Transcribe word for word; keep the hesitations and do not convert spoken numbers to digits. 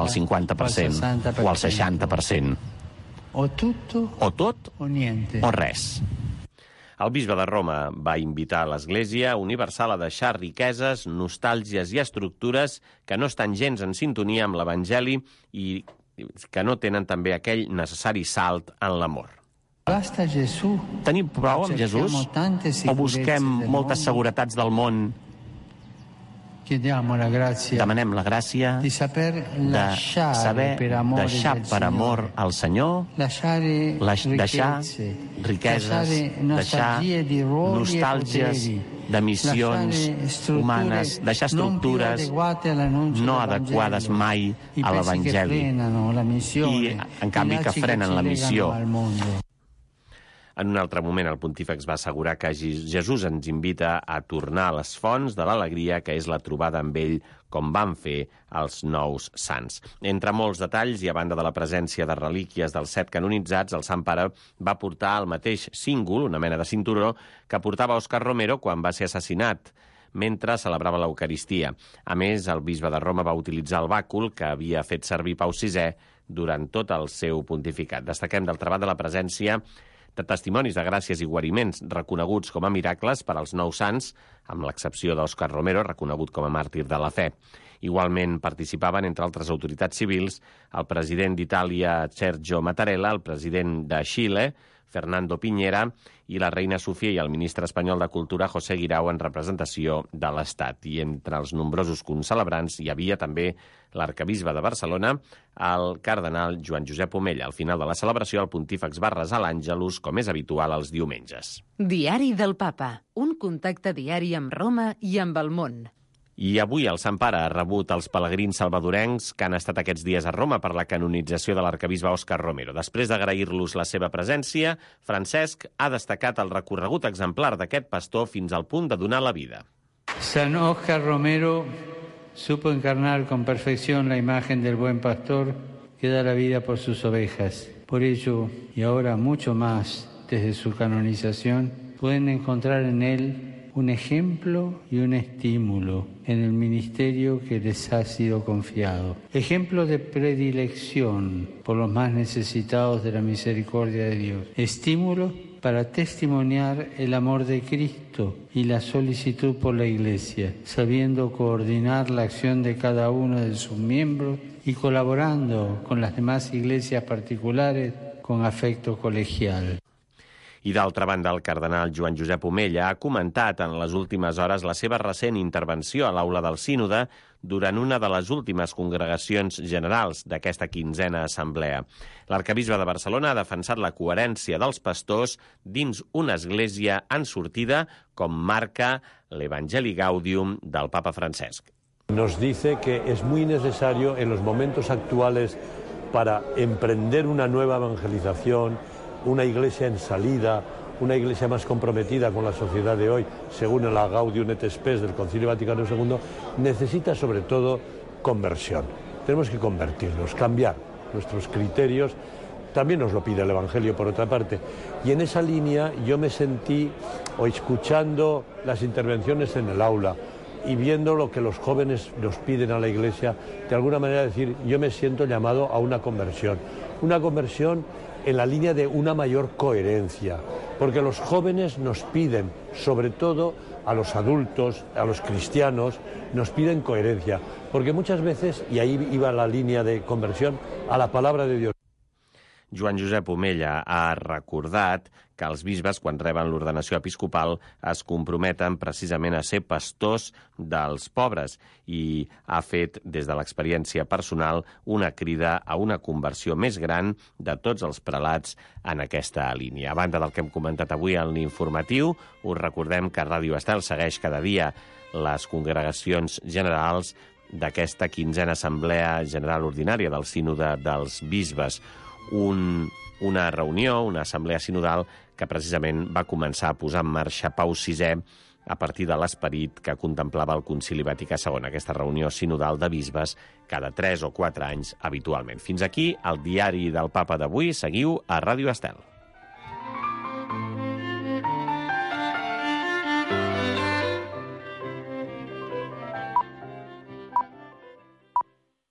al cinquanta per cent o al seixanta per cent. O tutto o tot o niente. O res. El bisbe de Roma va invitar l'Església Universal a deixar riqueses, nostàlgies i estructures que no estan gens en sintonia amb l'Evangeli i que no tenen també aquell necessari salt en l'amor. Basta Gesù. Tenim prou amb Jesús? O busquem moltes seguretats del món? Chiediamo la grazia. Demanem la gràcia di saber lasciare de saber per amore deixar per amor al Senyor, lasciare deixar riqueses, deixar nostàlgies de missions humanes, deixar estructures no adequades mai a l'Evangeli i, en canvi, que frenen la missió. En un altre moment, el pontífex va assegurar que Jesús ens invita a tornar a les fonts de l'alegria, que és la trobada amb ell, com van fer els nous sants. Entre molts detalls, i a banda de la presència de relíquies dels set canonitzats, el Sant Pare va portar el mateix cíngol, una mena de cinturó, que portava Òscar Romero quan va ser assassinat, mentre celebrava l'Eucaristia. A més, el bisbe de Roma va utilitzar el bàcul que havia fet servir Pau sisè durant tot el seu pontificat. Destaquem, d'altra banda, la presència de testimonis de gràcies i guariments reconeguts com a miracles per als nous sants, amb l'excepció d'Òscar Romero, reconegut com a màrtir de la fe. Igualment participaven, entre altres autoritats civils, el president d'Itàlia, Sergio Mattarella, el president de Xile, Fernando Piñera, i la reina Sofia i el ministre espanyol de Cultura, José Guirao, en representació de l'Estat. I entre els nombrosos concelebrants hi havia també l'arcabisbe de Barcelona, el cardenal Joan Josep Omella. Al final de la celebració, el pontífex va resar l'Àngelus, com és habitual els diumenges. Diari del Papa, un contacte diari amb Roma i amb el món. I avui el Sant Pare ha rebut els pelegrins salvadorencs que han estat aquests dies a Roma per la canonització de l'arcabisbe Òscar Romero. Després d'agrair-los la seva presència, Francesc ha destacat el recorregut exemplar d'aquest pastor fins al punt de donar la vida. San Óscar Romero supo encarnar con perfección la imagen del buen pastor que da la vida por sus ovejas. Por ello, y ahora mucho más desde su canonización, pueden encontrar en él un ejemplo y un estímulo en el ministerio que les ha sido confiado. Ejemplo de predilección por los más necesitados de la misericordia de Dios. Estímulo para testimoniar el amor de Cristo y la solicitud por la Iglesia, sabiendo coordinar la acción de cada uno de sus miembros y colaborando con las demás iglesias particulares con afecto colegial. I d'altra banda, el cardenal Joan Josep Omella ha comentat en les últimes hores la seva recent intervenció a l'aula del sínode durant una de les últimes congregacions generals d'aquesta quinzena assemblea. L'arcabisbe de Barcelona ha defensat la coherència dels pastors dins una església en sortida, com marca l'Evangeli Gaudium del Papa Francesc. Nos dice que es muy necesario en los momentos actuales para emprender una nueva evangelización, una iglesia en salida, una iglesia más comprometida con la sociedad de hoy, según la Gaudium et Spes del Concilio Vaticano segundo, necesita sobre todo conversión. Tenemos que convertirnos, cambiar nuestros criterios. También nos lo pide el Evangelio, por otra parte. Y en esa línea yo me sentí, o escuchando las intervenciones en el aula y viendo lo que los jóvenes nos piden a la Iglesia, de alguna manera decir, yo me siento llamado a una conversión. Una conversión en la línea de una mayor coherencia, porque los jóvenes nos piden, sobre todo a los adultos, a los cristianos, nos piden coherencia, porque muchas veces, y ahí iba la línea de conversión, a la palabra de Dios. Joan Josep Omella ha recordat que els bisbes, quan reben l'ordenació episcopal, es comprometen precisament a ser pastors dels pobres i ha fet, des de l'experiència personal, una crida a una conversió més gran de tots els prelats en aquesta línia. A banda del que hem comentat avui en l'informatiu, us recordem que Ràdio Estel segueix cada dia les congregacions generals d'aquesta quinzena assemblea general ordinària del Sínode dels Bisbes. Un, una reunió, una assemblea sinodal que precisament va començar a posar en marxa Pau sisè a partir de l'esperit que contemplava el Concili Vaticà segon, aquesta reunió sinodal de bisbes cada tres o quatre anys habitualment. Fins aquí el diari del Papa d'avui. Seguiu a Ràdio Estel.